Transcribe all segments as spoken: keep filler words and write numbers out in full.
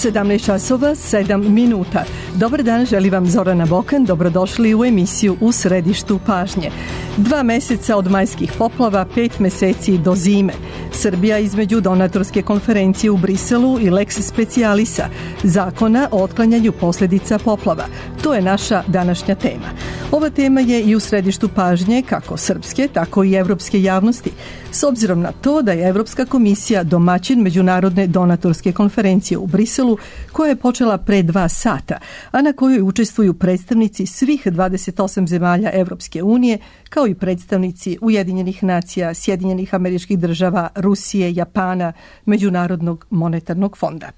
sedamnaest časova, sedam minuta. Dobar dan, želi vam Zorana Bokan, dobrodošli u emisiju U središtu pažnje. Dva meseca od majskih poplava, pet meseci do zime. Srbija između donatorske konferencije u Briselu i Lex Specialisa, zakona o otklanjanju posljedica poplava. To je naša današnja tema. Ova tema je i u središtu pažnje kako srpske, tako i evropske javnosti. S obzirom na to da je Evropska komisija domaćin Međunarodne donatorske konferencije u Briselu, koja je počela pre dva sata, a na kojoj učestvuju predstavnici svih dvadeset osam zemalja Evropske unije, kao i predstavnici Ujedinjenih nacija, Sjedinjenih Američkih Država, Rusije, Japana, Međunarodnog monetarnog fonda.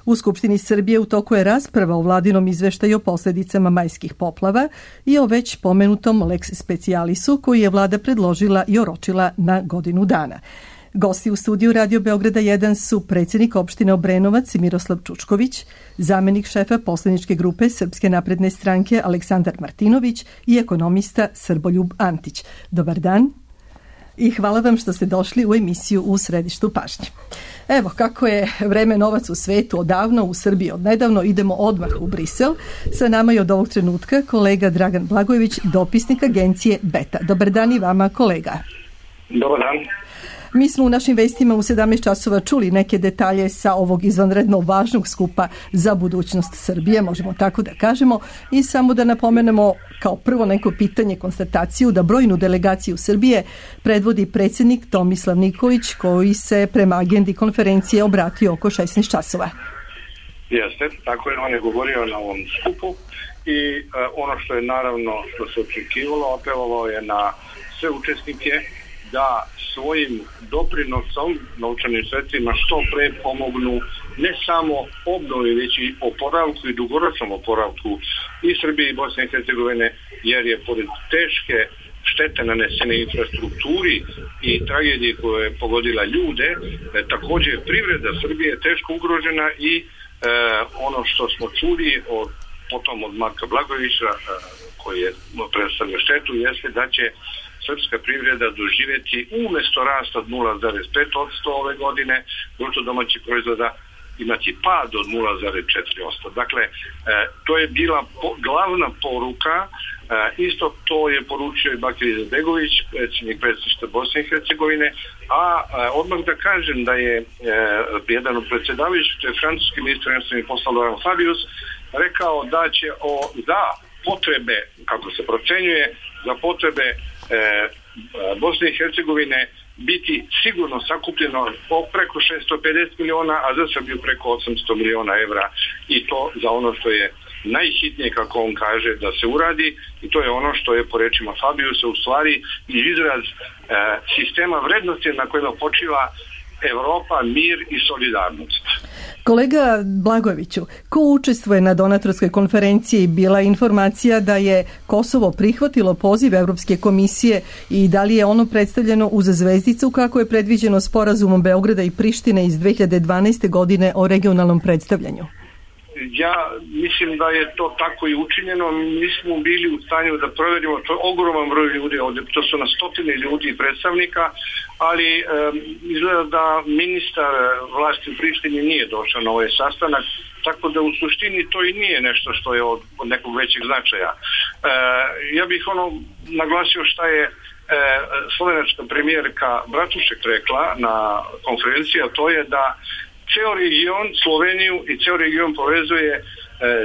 U Skupštini Srbije u toku je rasprava o vladinom izveštaju o posljedicama majskih poplava i o već pomenutom Lex Specialisu koji je vlada predložila i oročila na godinu dana. Gosti u studiju Radio Beograda jedan su predsjednik opštine Obrenovac Miroslav Čučković, zamenik šefa poslaničke grupe Srpske napredne stranke Aleksandar Martinović i ekonomista Srboljub Antić. Dobar dan i hvala vam što ste došli u emisiju U središtu pažnje. Evo, kako je vreme novac u svetu odavno, u Srbiji odnedavno, idemo odmah u Brisel. Sa nama je od ovog trenutka kolega Dragan Blagojević, dopisnik agencije Beta. Dobar dan i vama, kolega. Dobar dan. Mi smo u našim vestima u sedamnaest časova čuli neke detalje sa ovog izvanredno važnog skupa za budućnost Srbije, možemo tako da kažemo, i samo da napomenemo kao prvo neko pitanje, konstataciju da brojnu delegaciju Srbije predvodi predsjednik Tomislav Nikolić, koji se prema agendi konferencije obratio oko šesnaest časova. Jeste, tako je, on je govorio na ovom skupu i uh, ono što je naravno što se očekivalo, apelovao je na sve učesnike da svojim doprinosom, novčanim sredstvima, što pre pomognu ne samo obnovi, već i oporavku i dugoročnom oporavku i Srbije i Bosne i Hercegovine, jer je pored teške štete nanesene infrastrukturi i tragedije koje je pogodila ljude, e, također privreda Srbije je teško ugrožena i e, ono što smo čuli od, potom od Marka Blagojevića, e, koji je predstavio štetu, jeste da će srpska privreda doživjeti umjesto rasta od nula zarez pet posto ove godine bruto domaćeg proizvoda imati pad od nula zarez četiri posto. Dakle, e, to je bila po, glavna poruka, e, isto to je poručio i Bakir Izetbegović, predsjednik predsjedništva Bosne i Hercegovine, a e, odmah da kažem da je e, jedan od predsjedavajućih, to je francuski ministar inostranih poslova Laurent Fabius, rekao da će o, za potrebe, kako se procenjuje, za potrebe E, Bosne i Hercegovine biti sigurno sakupljeno preko šesto pedeset miliona, a za Srbiju preko osamsto miliona evra, i to za ono što je najhitnije, kako on kaže, da se uradi, i to je ono što je po rečima Fabiusa u stvari izraz e, sistema vrednosti na kojima počiva Evropa, mir i solidarnost. Kolega Blagojeviću, ko učestvuje na donatorskoj konferenciji? Bila je informacija da je Kosovo prihvatilo poziv Evropske komisije i da li je ono predstavljeno uz zvezdicu kako je predviđeno sporazumom Beograda i Prištine iz dve hiljade dvanaeste. godine o regionalnom predstavljanju? Ja mislim da je to tako i učinjeno. Mi smo bili u stanju da provjerimo, to je ogroman broj ljudi ovdje, to su na stotine ljudi i predstavnika, ali e, izgleda da ministar vlasti u Prištini nije došao na ovaj sastanak, tako da u suštini to i nije nešto što je od, od nekog većeg značaja. E, ja bih ono naglasio šta je e, slovenačka premijerka Bratušek rekla na konferenciji, a to je da ceo region, Sloveniju i ceo region povezuje e,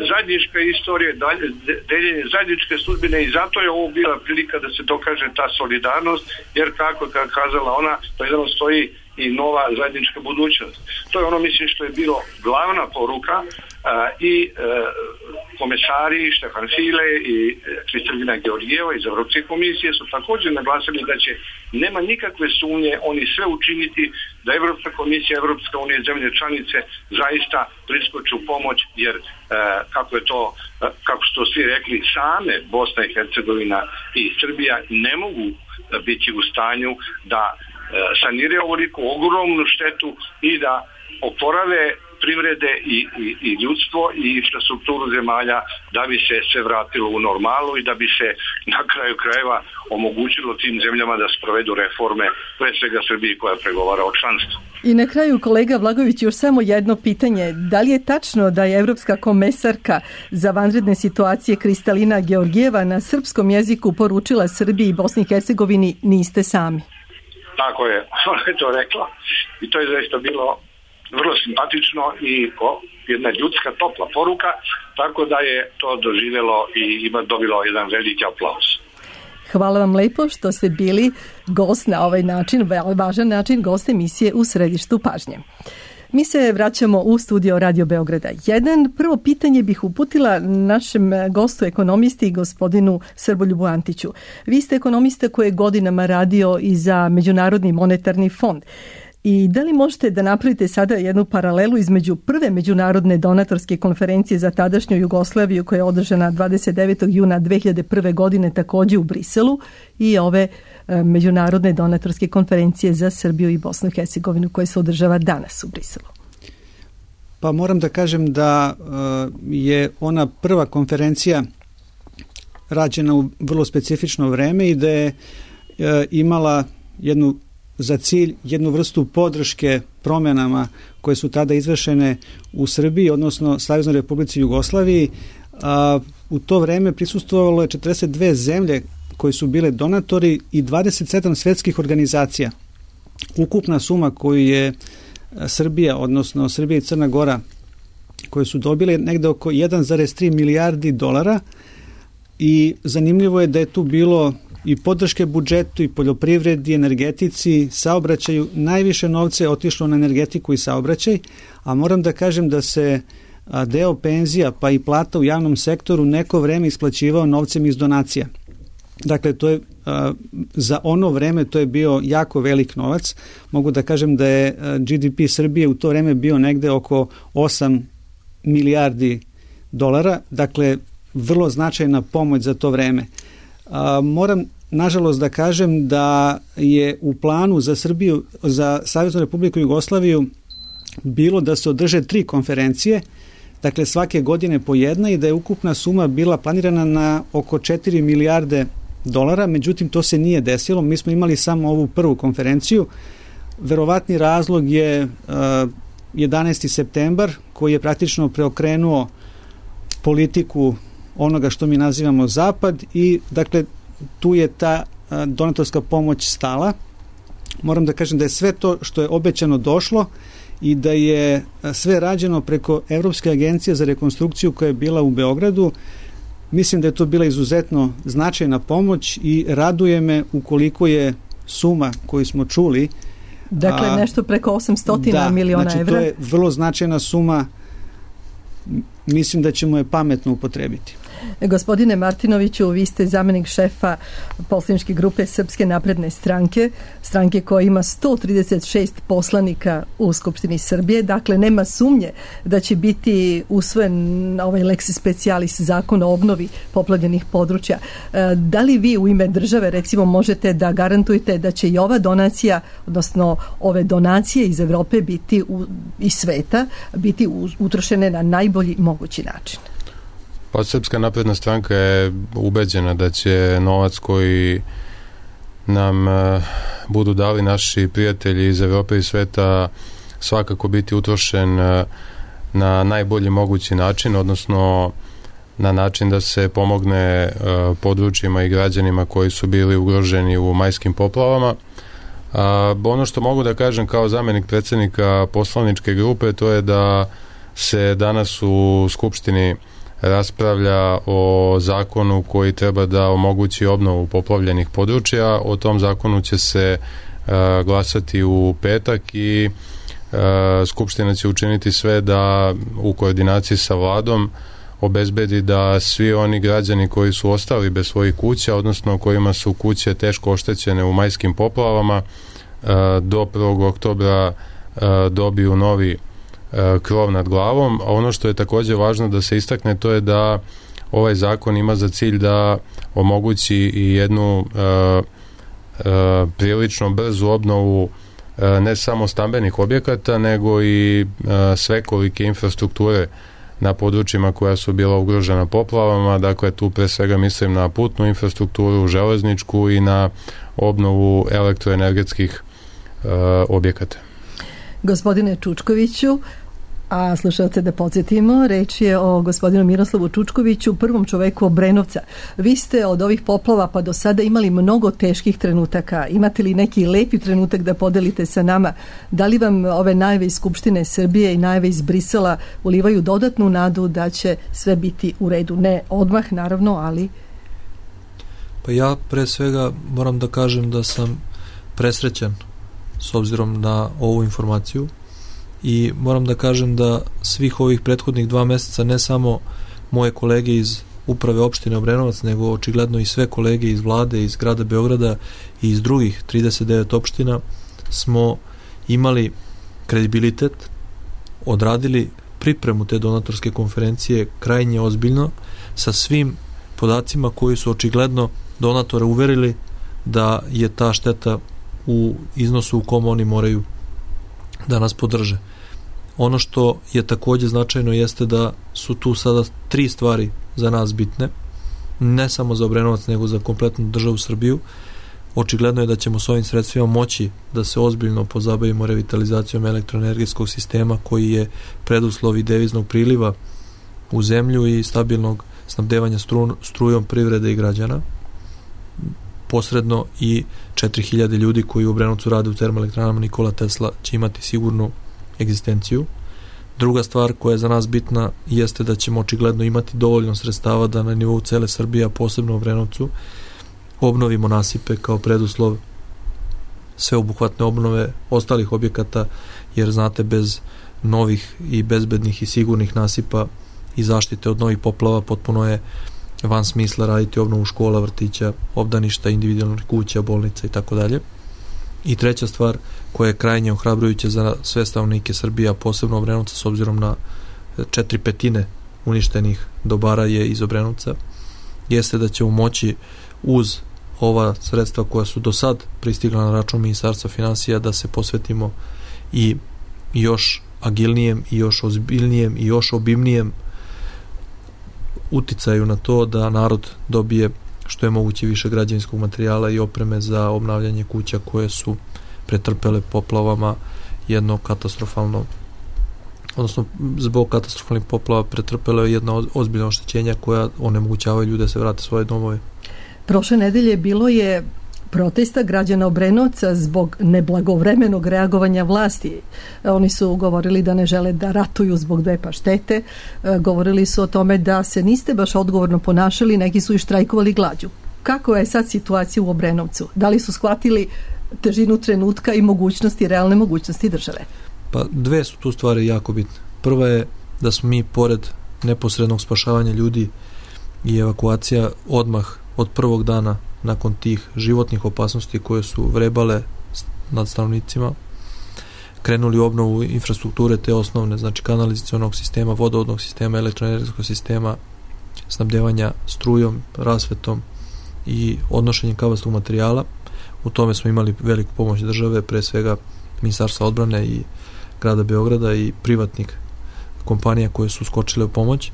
zajednička istorija, dalje, deljenje zajedničke sudbine, i zato je ovo bila prilika da se dokaže ta solidarnost, jer kako je kazala ona, to jedno stoji i nova zajednička budućnost. To je ono, mislim, što je bilo glavna poruka, a, i e, komesari Štefan File i Kristalina Georgijeva iz Evropske komisije su također naglasili da će, nema nikakve sumnje, oni sve učiniti da Evropska komisija, Evropska unija, zemlje članice zaista priskoče u pomoć, jer e, kako je to, kako su to svi rekli, same Bosna i Hercegovina i Srbija ne mogu biti u stanju da saniraju ovoliku ogromnu štetu i da oporave privrede i, i, i ljudstvo i infrastrukturu zemalja da bi se sve vratilo u normalu i da bi se na kraju krajeva omogućilo tim zemljama da sprovedu reforme, pre svega Srbiji koja pregovara o članstvu. I na kraju, kolega Vlagović, još samo jedno pitanje. Da li je tačno da je Evropska komesarka za vanredne situacije Kristalina Georgijeva na srpskom jeziku poručila Srbiji i Bosni i Hercegovini niste sami? Tako je, ona je to rekla i to je zaista bilo vrlo simpatično i jedna ljudska topla poruka, tako da je to doživjelo i ima dobilo jedan veliki aplauz. Hvala vam lepo što ste bili gost na ovaj način, važan način, gost emisije U središtu pažnje. Mi se vraćamo u studio Radio Beograda jedan. Prvo pitanje bih uputila našem gostu ekonomisti, gospodinu Srboljubu Antiću. Vi ste ekonomista koji je godinama radio i za Međunarodni monetarni fond. I da li možete da napravite sada jednu paralelu između prve međunarodne donatorske konferencije za tadašnju Jugoslaviju koja je održana dvadeset devetog juna dve hiljade prve. godine također u Briselu i ove e, međunarodne donatorske konferencije za Srbiju i Bosnu i Hercegovinu koja se održava danas u Briselu? Pa moram da kažem da e, je ona prva konferencija rađena u vrlo specifično vreme i da je e, imala jednu za cilj jednu vrstu podrške promjenama koje su tada izvršene u Srbiji, odnosno Saveznoj Republici Jugoslaviji. A, u to vreme prisustvovalo je četrdeset dve zemlje koje su bile donatori i dvadeset sedam svetskih organizacija. Ukupna suma koju je Srbija, odnosno Srbija i Crna Gora, koje su dobile negde oko jedan zarez tri milijardi dolara i zanimljivo je da je tu bilo i podrške budžetu i poljoprivredi, energetici, saobraćaju. Najviše novca je otišlo na energetiku i saobraćaj, a moram da kažem da se deo penzija pa i plata u javnom sektoru neko vreme isplaćivao novcem iz donacija. Dakle, to je za ono vreme to je bio jako velik novac. Mogu da kažem da je G D P Srbije u to vreme bio negde oko osam milijardi dolara, dakle vrlo značajna pomoć za to vreme. A, moram nažalost da kažem da je u planu za Srbiju, za Saveznu Republiku Jugoslaviju bilo da se održe tri konferencije, dakle svake godine po jedna i da je ukupna suma bila planirana na oko četiri milijarde dolara, međutim to se nije desilo, mi smo imali samo ovu prvu konferenciju. Verovatni razlog je uh, jedanaesti septembar koji je praktično preokrenuo politiku onoga što mi nazivamo Zapad i dakle tu je ta donatorska pomoć stala. Moram da kažem da je sve to što je obećano došlo i da je sve rađeno preko Evropske agencije za rekonstrukciju koja je bila u Beogradu. Mislim da je to bila izuzetno značajna pomoć i raduje me ukoliko je suma koju smo čuli. Dakle, nešto preko osamsto da, miliona znači, evra. To je vrlo značajna suma. Mislim da ćemo je pametno upotrebiti. Gospodine Martinoviću, vi ste zamenik šefa poslaničke grupe Srpske napredne stranke, stranke koja ima sto trideset šest poslanika u Skupštini Srbije, dakle nema sumnje da će biti usvojen ovaj lex specialis zakon o obnovi poplavljenih područja. Da li vi u ime države recimo možete da garantujete da će i ova donacija, odnosno ove donacije iz Evrope biti u, iz sveta, biti utrošene na najbolji mogući način? Pa Srpska napredna stranka je ubeđena da će novac koji nam uh, budu dali naši prijatelji iz Evrope i sveta svakako biti utrošen uh, na najbolji mogući način, odnosno na način da se pomogne uh, područjima i građanima koji su bili ugroženi u majskim poplavama. Uh, ono što mogu da kažem kao zamenik predsjednika poslaničke grupe, to je da se danas u Skupštini raspravlja o zakonu koji treba da omogući obnovu poplavljenih područja. O tom zakonu će se uh, glasati u petak i uh, Skupština će učiniti sve da u koordinaciji sa vladom obezbedi da svi oni građani koji su ostali bez svojih kuća, odnosno kojima su kuće teško oštećene u majskim poplavama, uh, do prvog oktobra uh, dobiju novi krov nad glavom. A ono što je također važno da se istakne, to je da ovaj zakon ima za cilj da omogući i jednu uh, uh, prilično brzu obnovu ne samo stambenih objekata, nego i svekolike infrastrukture na područjima koja su bila ugrožena poplavama. Dakle, tu pre svega mislim na putnu infrastrukturu, železničku i na obnovu elektroenergetskih uh, objekata. Gospodine Čučkoviću, a slušalce da podsjetimo, reč je o gospodinu Miroslavu Čučkoviću, prvom čoveku Obrenovca. Vi ste od ovih poplava pa do sada imali mnogo teških trenutaka. Imate li neki lepi trenutak da podelite sa nama? Da li vam ove najave iz Skupštine Srbije i najave iz Brisela ulivaju dodatnu nadu da će sve biti u redu? Ne odmah, naravno, ali... Pa ja pre svega moram da kažem da sam presrećan s obzirom na ovu informaciju i moram da kažem da svih ovih prethodnih dva meseca ne samo moje kolege iz uprave opštine Obrenovac, nego očigledno i sve kolege iz vlade, iz grada Beograda i iz drugih trideset devet opština smo imali kredibilitet, odradili pripremu te donatorske konferencije krajnje ozbiljno sa svim podacima koji su očigledno donatore uverili da je ta šteta u iznosu u kom oni moraju da nas podrže. Ono što je takođe značajno jeste da su tu sada tri stvari za nas bitne, ne samo za Obrenovac, nego za kompletnu državu Srbiju. Očigledno je da ćemo s ovim sredstvima moći da se ozbiljno pozabavimo revitalizacijom elektroenergetskog sistema koji je preduslov i deviznog priliva u zemlju i stabilnog snabdevanja stru, strujom privrede i građana. Posredno i četiri hiljade ljudi koji u Obrenovcu rade u termoelektranama Nikola Tesla će imati sigurnu egzistenciju. Druga stvar koja je za nas bitna jeste da ćemo očigledno imati dovoljno sredstava da na nivou cele Srbije, a posebno u Obrenovcu, obnovimo nasipe kao preduslov sveobuhvatne obnove ostalih objekata, jer znate, bez novih i bezbednih i sigurnih nasipa i zaštite od novih poplava potpuno je van smisla raditi obnovu škola, vrtića, obdaništa, individualnih kuća, bolnica i tako dalje. I treća stvar koja je krajnje ohrabrujuća za sve stanovnike Srbije, a posebno Obrenovca, s obzirom na četiri petine uništenih dobara je iz Obrenovca, jeste da ćemo moći uz ova sredstva koja su do sad pristigla na račun Ministarstva finansija da se posvetimo i još agilnijem i još ozbiljnijem i još obimnijem uticaju na to da narod dobije što je moguće više građevinskog materijala i opreme za obnavljanje kuća koje su pretrpele poplavama jedno katastrofalno, odnosno zbog katastrofalnih poplava pretrpele jedno ozbiljno oštećenja koja onemogućavaju ljude da se vrate svoje domove. Prošle nedelje bilo je protesta građana Obrenovca zbog neblagovremenog reagovanja vlasti. Oni su govorili da ne žele da ratuju zbog dve paštete. Govorili su o tome da se niste baš odgovorno ponašali, neki su i štrajkovali glađu. Kako je sad situacija u Obrenovcu? Da li su shvatili težinu trenutka i mogućnosti, realne mogućnosti države? Pa dve su tu stvari jako bitne. Prva je da smo mi pored neposrednog spašavanja ljudi i evakuacija odmah od prvog dana nakon tih životnih opasnosti koje su vrebale nad stanovnicima, krenuli u obnovu infrastrukture te osnovne, znači kanalizacionog sistema, vodovodnog sistema, elektroenergetskog sistema, snabdevanja strujom, rasvetom i odnošenjem kabastog materijala. U tome smo imali veliku pomoć države, pre svega Ministarstva odbrane i grada Beograda i privatnih kompanija koje su skočile u pomoć,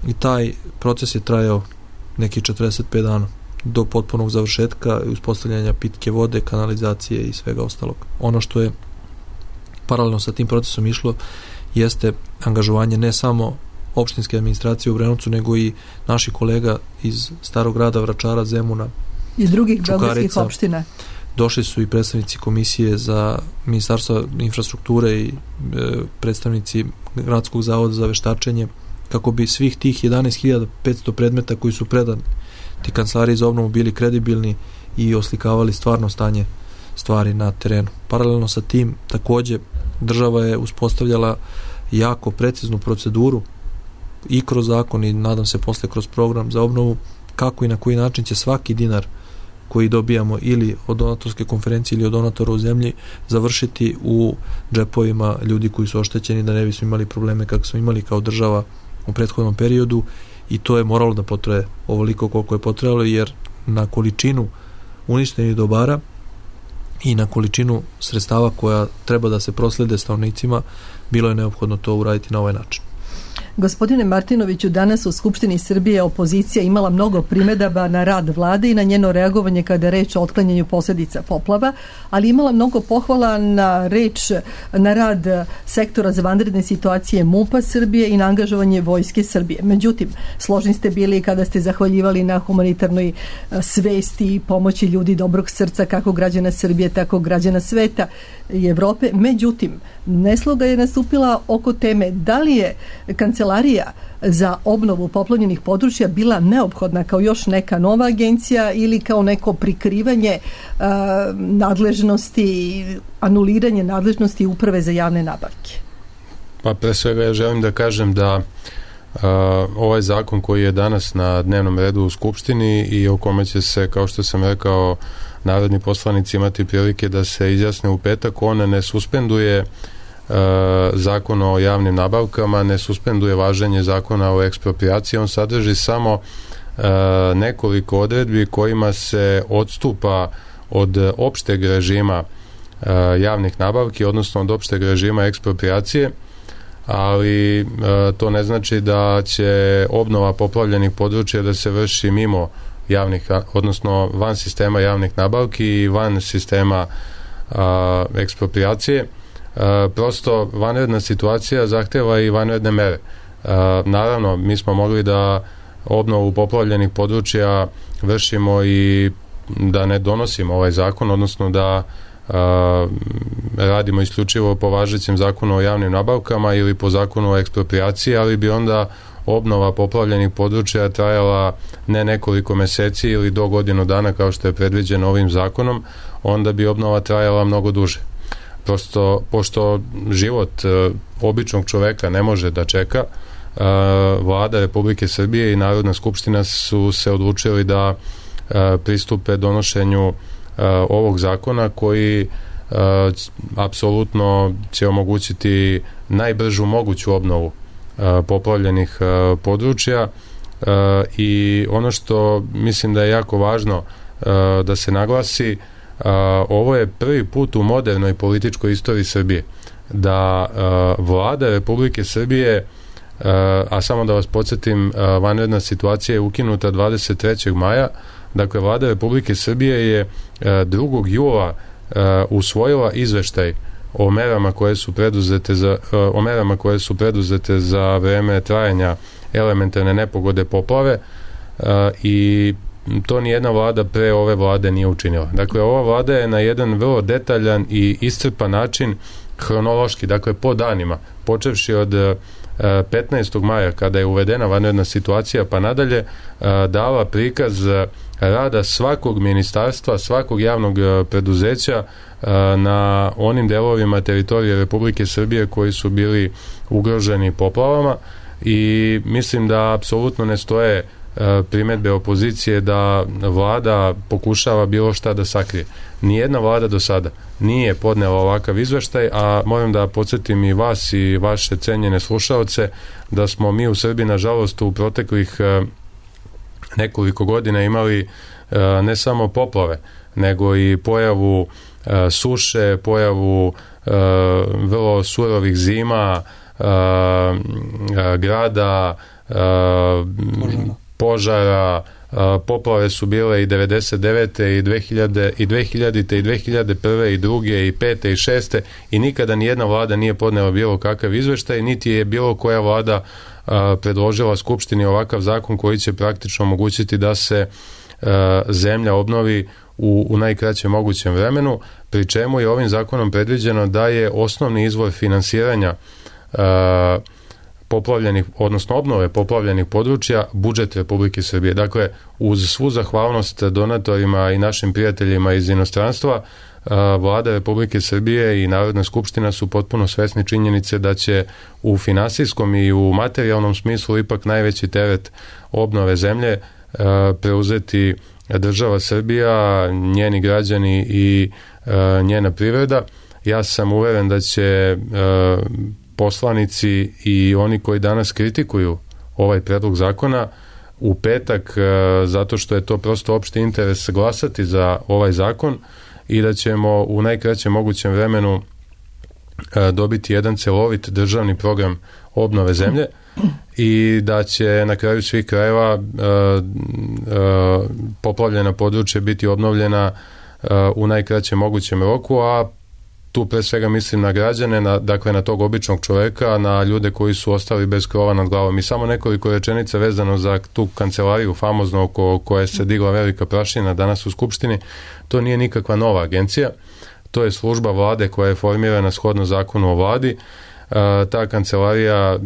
i taj proces je trajao neki četrdeset pet dana do potpunog završetka i uspostavljanja pitke vode, kanalizacije i svega ostalog. Ono što je paralelno sa tim procesom išlo jeste angažovanje ne samo opštinske administracije u Obrenovcu, nego i naših kolega iz Starog grada, Vračara, Zemuna, iz drugih beogradskih opština. Došli su i predstavnici komisije za Ministarstva infrastrukture i e, predstavnici Gradskog zavoda za veštačenje, kako bi svih tih jedanaest hiljada petsto predmeta koji su predani ti kancelariji za obnovu bili kredibilni i oslikavali stvarno stanje stvari na terenu. Paralelno sa tim, takođe, država je uspostavljala jako preciznu proceduru i kroz zakon i nadam se posle kroz program za obnovu, kako i na koji način će svaki dinar koji dobijamo ili od donatorske konferencije ili od donatora u zemlji završiti u džepovima ljudi koji su oštećeni, da ne bismo imali probleme kako smo imali kao država u prethodnom periodu. I to je moralo da potraje ovoliko koliko je potrebalo, jer na količinu uništenih dobara i na količinu sredstava koja treba da se proslede stanovnicima, bilo je neophodno to uraditi na ovaj način. Gospodine Martinoviću, danas u Skupštini Srbije opozicija imala mnogo primedaba na rad vlade i na njeno reagovanje kada je reč o otklanjanju posljedica poplava, ali imala mnogo pohvala na reč, na rad sektora za vanredne situacije MUP-a Srbije i na angažovanje Vojske Srbije. Međutim, složni ste bili kada ste zahvaljivali na humanitarnoj svesti i pomoći ljudi dobrog srca, kako građana Srbije, tako građana sveta i Evrope. Međutim, nesloga je nastupila oko teme da li je Kancelarija za obnovu poplavljenih područja bila neophodna kao još neka nova agencija ili kao neko prikrivanje uh, nadležnosti, anuliranje nadležnosti Uprave za javne nabavke? Pa pre svega ja želim da kažem da uh, ovaj zakon koji je danas na dnevnom redu u Skupštini i o kome će se, kao što sam rekao, narodni poslanici imati prilike da se izjasne u petak, on ne suspenduje Zakon o javnim nabavkama, ne suspenduje važenje Zakona o eksproprijaciji, on sadrži samo e, nekoliko odredbi kojima se odstupa od opšteg režima e, javnih nabavki, odnosno od opšteg režima eksproprijacije, ali e, to ne znači da će obnova poplavljenih područja da se vrši mimo javnih, odnosno van sistema javnih nabavki i van sistema a, eksproprijacije. Uh, prosto vanredna situacija zahteva i vanredne mere. Uh, naravno, mi smo mogli da obnovu poplavljenih područja vršimo i da ne donosimo ovaj zakon, odnosno da uh, radimo isključivo po važećem zakonu o javnim nabavkama ili po zakonu o eksproprijaciji, ali bi onda obnova poplavljenih područja trajala ne nekoliko meseci ili do godinu dana kao što je predviđeno ovim zakonom, onda bi obnova trajala mnogo duže. Prosto, pošto život e, običnog čoveka ne može da čeka, e, Vlada Republike Srbije i Narodna skupština su se odlučili da e, pristupe donošenju e, ovog zakona koji e, apsolutno će omogućiti najbržu moguću obnovu e, poplavljenih e, područja e, i ono što mislim da je jako važno e, da se naglasi, Uh, ovo je prvi put u modernoj političkoj istoriji Srbije da uh, Vlada Republike Srbije, uh, a samo da vas podsjetim, uh, vanredna situacija je ukinuta dvadeset trećeg maja, dakle Vlada Republike Srbije je uh, drugog jula uh, usvojila izveštaj o merama koje su preduzete za, uh, o merama koje su preduzete za vreme trajanja elementarne nepogode poplave uh, i to nijedna vlada pre ove vlade nije učinila. Dakle, ova vlada je na jedan vrlo detaljan i iscrpan način hronološki, dakle po danima, počevši od petnaestog maja kada je uvedena vanredna situacija pa nadalje, dala prikaz rada svakog ministarstva, svakog javnog preduzeća na onim delovima teritorije Republike Srbije koji su bili ugroženi poplavama i mislim da apsolutno ne stoje primedbe opozicije da vlada pokušava bilo šta da sakrije. Nijedna vlada do sada nije podnela ovakav izveštaj, a moram da podsjetim i vas i vaše cenjene slušaoce da smo mi u Srbiji nažalost u proteklih nekoliko godina imali ne samo poplave, nego i pojavu suše, pojavu vrlo surovih zima, grada, požara, požara, poplave su bile i devedeset devete i dve hiljade i dve hiljadite i dve hiljade prve i druge i pete i šeste i nikada ni jedna vlada nije podnela bilo kakav izveštaj, niti je bilo koja vlada a, predložila Skupštini ovakav zakon koji će praktično omogućiti da se a, zemlja obnovi u, u najkraćem mogućem vremenu, pri čemu je ovim zakonom predviđeno da je osnovni izvor finansiranja a, poplavljenih, odnosno obnove poplavljenih područja budžet Republike Srbije. Dakle, uz svu zahvalnost donatorima i našim prijateljima iz inostranstva, Vlada Republike Srbije i Narodna skupština su potpuno svesni činjenice da će u finansijskom i u materijalnom smislu ipak najveći teret obnove zemlje preuzeti država Srbija, njeni građani i njena privreda. Ja sam uveren da će poslanici i oni koji danas kritikuju ovaj predlog zakona u petak, zato što je to prosto opšti interes, glasati za ovaj zakon i da ćemo u najkraćem mogućem vremenu dobiti jedan celovit državni program obnove zemlje i da će na kraju svih krajeva uh, uh, poplavljena područja biti obnovljena uh, u najkraćem mogućem roku, a tu pre svega mislim na građane, na, dakle na tog običnog čoveka, na ljude koji su ostali bez krova nad glavom. I samo nekoliko rečenica vezano za tu kancelariju famozno oko koje se digla velika prašina danas u Skupštini. To nije nikakva nova agencija, to je služba vlade koja je formirana shodno zakonu o vladi. Ta kancelarija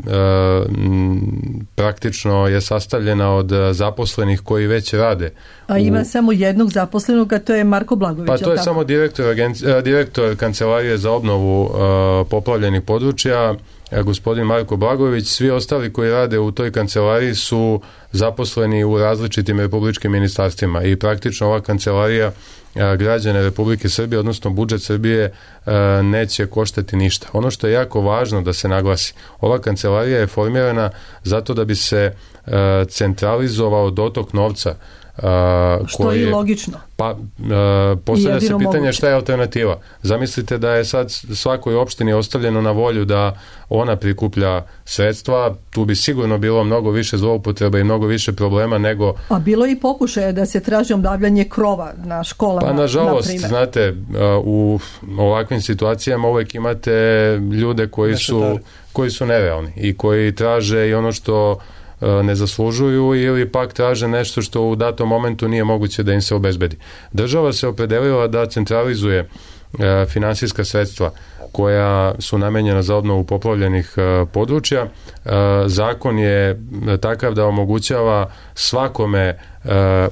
praktično je sastavljena od zaposlenih koji već rade. A ima u... samo jednog zaposlenog, a to je Marko Blagović. Pa to je tako? Samo direktor, agenci... direktor kancelarije za obnovu poplavljenih područja, gospodin Marko Blagović. Svi ostali koji rade u toj kancelariji su zaposleni u različitim republičkim ministarstvima i praktično ova kancelarija građane Republike Srbije, odnosno budžet Srbije neće koštati ništa. Ono što je jako važno da se naglasi, ova kancelarija je formirana zato da bi se centralizovao dotok novca. Uh, što je i logično. Pa uh, postavlja se pitanje moguće. Šta je alternativa. Zamislite da je sad svakoj opštini ostavljeno na volju da ona prikuplja sredstva, tu bi sigurno bilo mnogo više zloupotreba i mnogo više problema nego... A bilo i pokušaje da se traži obnavljanje krova na školama. Pa nažalost, na znate, u ovakvim situacijama uvek imate ljude koji su, koji su nerealni i koji traže i ono što ne zaslužuju ili pak traže nešto što u datom momentu nije moguće da im se obezbedi. Država se opredelila da centralizuje e, finansijska sredstva koja su namenjena za obnovu poplavljenih e, područja. E, zakon je takav da omogućava svakome e,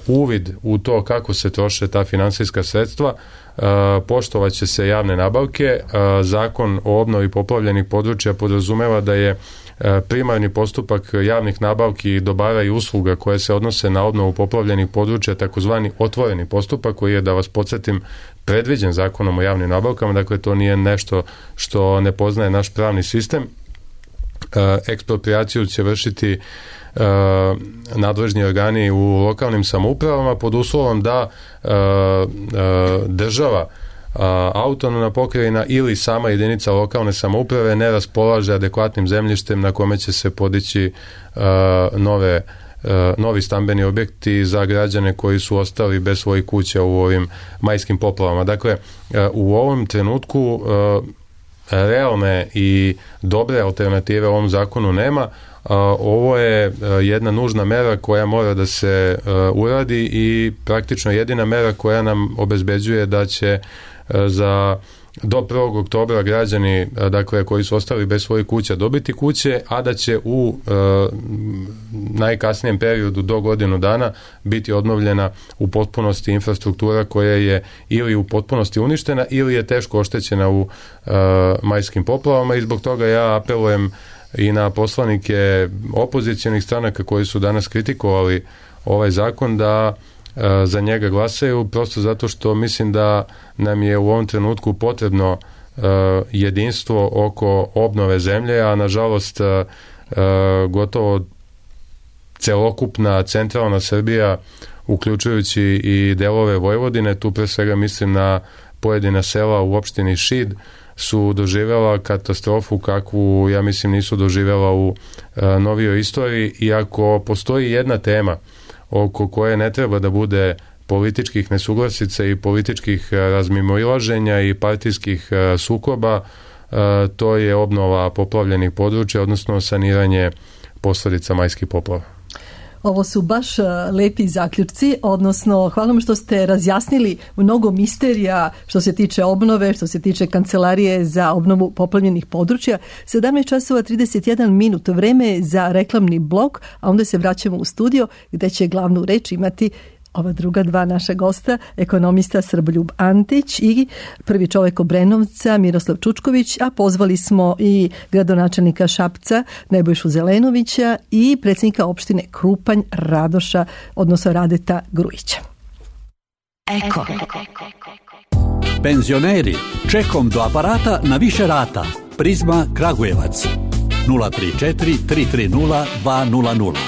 uvid u to kako se troše ta finansijska sredstva. E, poštovaće se javne nabavke. E, zakon o obnovi poplavljenih područja podrazumeva da je primarni postupak javnih nabavki dobara i usluga koje se odnose na obnovu poplavljenih područja, takozvani otvoreni postupak koji je, da vas podsjetim, predviđen zakonom o javnim nabavkama, dakle to nije nešto što ne poznaje naš pravni sistem. Ekspropriaciju će vršiti nadležni organi u lokalnim samoupravama pod uslovom da država, autonomna pokrajina ili sama jedinica lokalne samouprave ne raspolaže adekvatnim zemljištem na kome će se podići uh, nove, uh, novi stambeni objekti za građane koji su ostali bez svojih kuća u ovim majskim poplavama. Dakle, uh, u ovom trenutku uh, realne i dobre alternative ovom zakonu nema. Uh, ovo je uh, jedna nužna mera koja mora da se uh, uradi i praktično jedina mera koja nam obezbeđuje da će za do prvog oktobra građani, dakle, koji su ostali bez svojih kuća dobiti kuće, a da će u e, najkasnijem periodu do godinu dana biti obnovljena u potpunosti infrastruktura koja je ili u potpunosti uništena ili je teško oštećena u e, majskim poplavama i zbog toga ja apelujem i na poslanike opozicionih stranaka koji su danas kritikovali ovaj zakon da za njega glasaju, prosto zato što mislim da nam je u ovom trenutku potrebno uh, jedinstvo oko obnove zemlje, a nažalost uh, gotovo celokupna centralna Srbija, uključujući i delove Vojvodine, tu pre svega mislim na pojedina sela u opštini Šid, su doživjela katastrofu kakvu, ja mislim, nisu doživjela u uh, novijoj istoriji. I ako postoji jedna tema oko koje ne treba da bude političkih nesuglasica i političkih razmimoilaženja i partijskih sukoba, to je obnova poplavljenih područja, odnosno saniranje posledica majskih poplava. Ovo su baš lepi zaključci, odnosno hvala vam što ste razjasnili mnogo misterija što se tiče obnove, što se tiče kancelarije za obnovu poplavljenih područja. sedamnaest časova trideset jedan minut, vreme za reklamni blok, a onda se vraćamo u studio gde će glavnu reč imati ova druga dva naša gosta, ekonomista Srboljub Antić i prvi čovek Obrenovca Miroslav Čučković, a pozvali smo i gradonačelnika Šapca Nebojšu Zelenovića i predsjednika opštine Krupanj Radoša, odnosno Radeta Grujića. Eko. Penzioneri, čekom do aparata na više rata. Prizma Kragujevac nula tri četiri tri tri nula dva nula nula.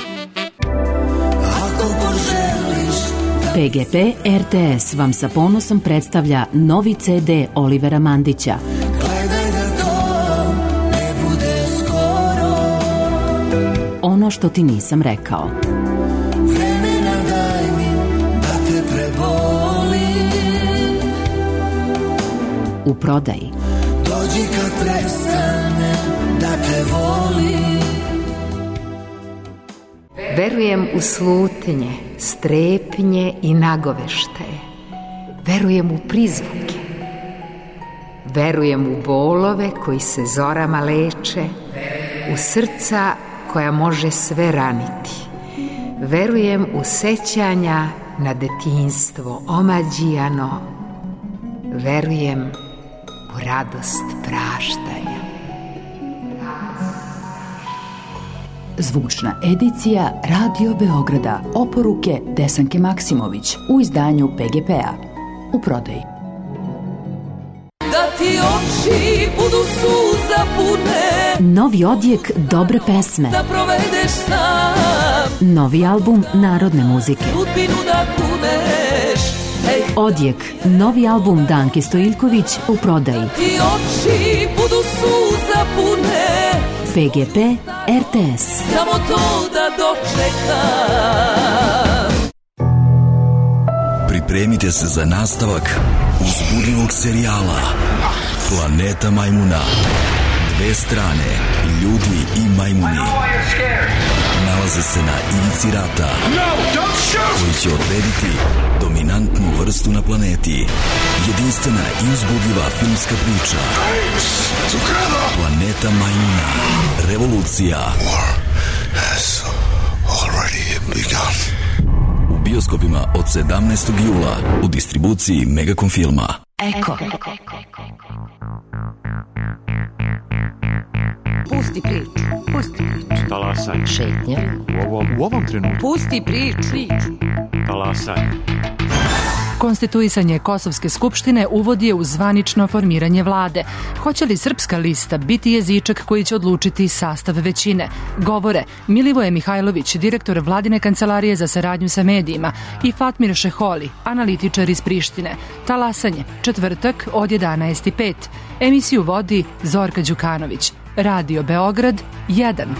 Ako poželiš da P G P R T S vam sa ponosom predstavlja novi C D Olivera Mandića. Gledaj da to ne bude skoro. Ono što ti nisam rekao. Vremena daj mi da te prebolim. U prodaji. Dođi kad prestane da te volim. Verujem u slutnje, strepnje i nagoveštaje. Verujem u prizvuke. Verujem u bolove koji se zorama leče, u srca koja može sve raniti. Verujem u sećanja na detinjstvo omađijano. Verujem u radost praštanja. Zvučna edicija Radio Beograda. Oporuke Desanke Maksimović u izdanju P G P-a. U prodaji. Da ti oči budu suza pune. Novi odjek dobre pesme. Da provedeš sam. Novi album narodne muzike. Sudbinu da kuneš. Ej. Odjek, novi album Danke Stojiljković u prodaji. Ti oči budu suza pune. P G P R T S. Samo to da dočekam. Pripremite se za nastavak uzbudljivog serijala Planeta majmuna. Dve strane, ljudi i majmuni, nalaze se na ivici rata koji će odrediti dominantnu vrstu na planeti. Jedinstvena i uzbudljiva filmska priča Planeta majmuna. Revolucija u bioskopima od sedamnaestog jula u distribuciji Megacom filma. Eko. Pusti priču, pusti priču. Talasaj. Šetnja. U ovom, u ovom trenutku. Pusti priču. Talasaj. Konstituisanje Kosovske skupštine uvodi je u zvanično formiranje vlade. Hoće li Srpska lista biti jezičak koji će odlučiti sastav većine? Govore Milivoje Mihajlović, direktor Vladine kancelarije za saradnju sa medijima, i Fatmir Šeholi, analitičar iz Prištine. Talasanje, četvrtak od jedanaest i pet. Emisiju vodi Zorka Đukanović. Radio Beograd jedan.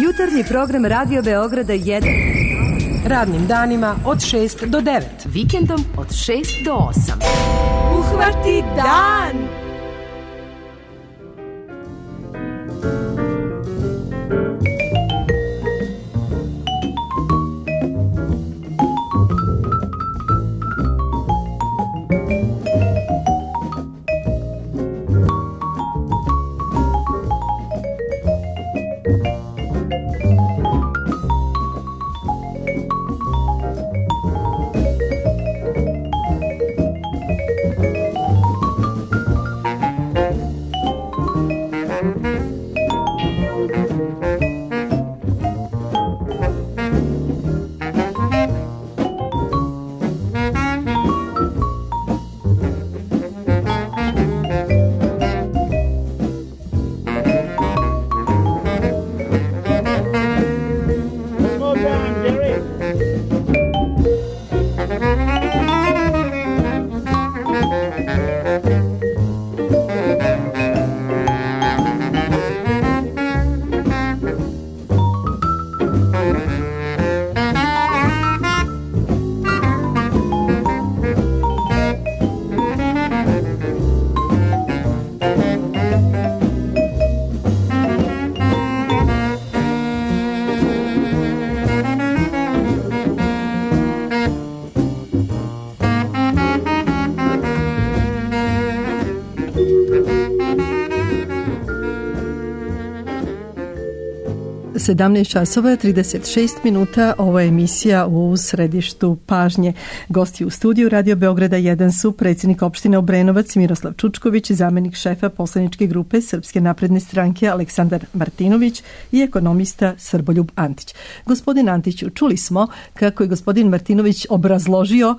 Jutarnji program Radio Beograda jedan. Radnim danima od šest do devet. Vikendom od šest do osam. Uhvati dan! sedamnaest časova trideset šest minuta. Ovo je emisija u središtu pažnje. Gosti u studiju Radio Beograda jedan su predsjednik opštine Obrenovac Miroslav Čučković, zamenik šefa poslaničke grupe Srpske napredne stranke Aleksandar Martinović i ekonomista Srboljub Antić. Gospodin Antiću, čuli smo kako je gospodin Martinović obrazložio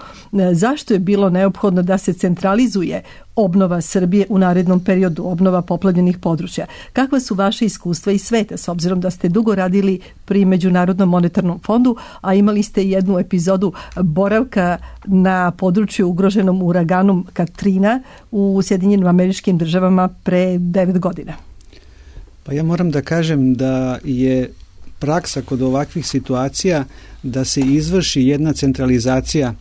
zašto je bilo neophodno da se centralizuje obnova Srbije u narednom periodu, obnova poplavljenih područja. Kakva su vaše iskustva iz sveta, s obzirom da ste dugo radili pri Međunarodnom monetarnom fondu, a imali ste jednu epizodu boravka na području ugroženom uraganom Katrina u Sjedinjenim Američkim Državama pre devet godina? Pa ja moram da kažem da je praksa kod ovakvih situacija da se izvrši jedna centralizacija